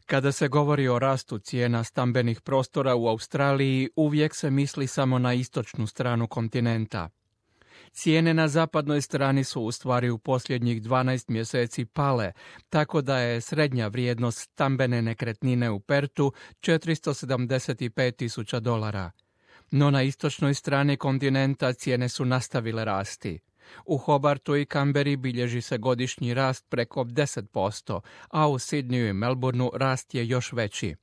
Kada se govori o rastu cijena stambenih prostora u Australiji, uvijek se misli samo na istočnu stranu kontinenta. Cijene na zapadnoj strani su u stvari u posljednjih 12 mjeseci pale, tako da je srednja vrijednost stambene nekretnine u Pertu $475,000. No na istočnoj strani kontinenta cijene su nastavile rasti. U Hobartu i Canberri bilježi se godišnji rast preko 10%, a u Sydneyu i Melbourneu rast je još veći.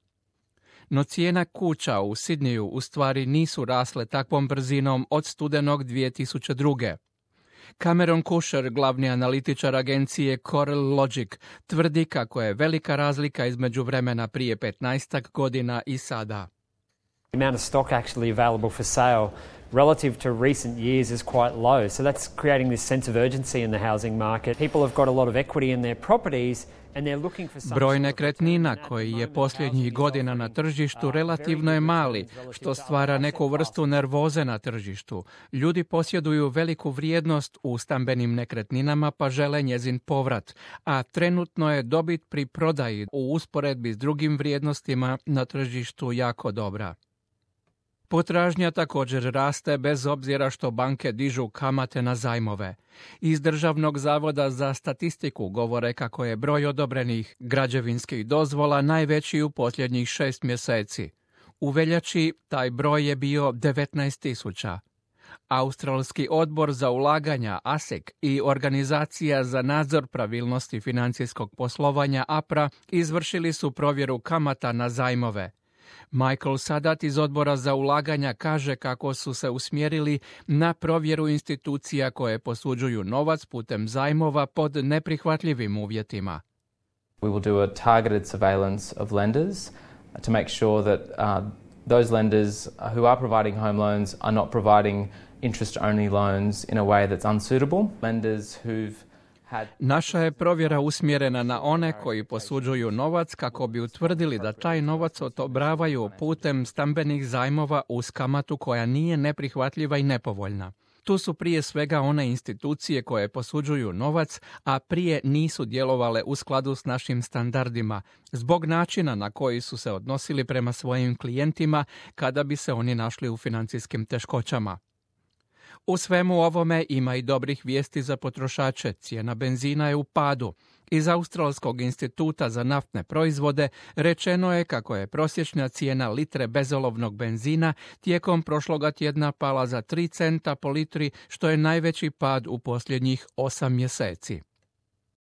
No cijena kuća u Sydneyu u stvari nisu rasle takvom brzinom od studenog 2002. Cameron Kusher, glavni analitičar agencije Coral Logic, tvrdi kako je velika razlika između vremena prije 15 godina i sada. The amount of stock actually available for sale relative to recent years is quite low. So that's creating this sense of urgency in the housing market. People have got a lot of equity in their properties and they're looking for some... Broj nekretnina koji je posljednjih godina na tržištu relativno je mali, što stvara neku vrstu nervoze na tržištu. Ljudi posjeduju veliku vrijednost u stambenim nekretninama pa žele njezin povrat, a trenutno je dobit pri prodaji u usporedbi s drugim vrijednostima na tržištu jako dobra. Potražnja također raste bez obzira što banke dižu kamate na zajmove. Iz Državnog zavoda za statistiku govore kako je broj odobrenih građevinskih dozvola najveći u posljednjih 6 mjeseci. U veljači taj broj je bio 19,000. Australski odbor za ulaganja ASIC i Organizacija za nadzor pravilnosti financijskog poslovanja APRA izvršili su provjeru kamata na zajmove. Michael Sadat iz odbora za ulaganja kaže kako su se usmjerili na provjeru institucija koje posuđuju novac putem zajmova pod neprihvatljivim uvjetima. We will do a targeted surveillance of lenders to make sure that those lenders who are providing home loans are not providing interest-only loans in a way that's unsuitable. Lenders who've Naša je provjera usmjerena na one koji posuđuju novac kako bi utvrdili da taj novac odobravaju putem stambenih zajmova uz kamatu koja nije neprihvatljiva i nepovoljna. Tu su prije svega one institucije koje posuđuju novac, a prije nisu djelovale u skladu s našim standardima, zbog načina na koji su se odnosili prema svojim klijentima kada bi se oni našli u financijskim teškoćama. U svemu ovome ima i dobrih vijesti za potrošače. Cijena benzina je u padu. Iz Australskog instituta za naftne proizvode rečeno je kako je prosječna cijena litre bezolovnog benzina tijekom prošloga tjedna pala za 3 centa po litri, što je najveći pad u posljednjih 8 mjeseci.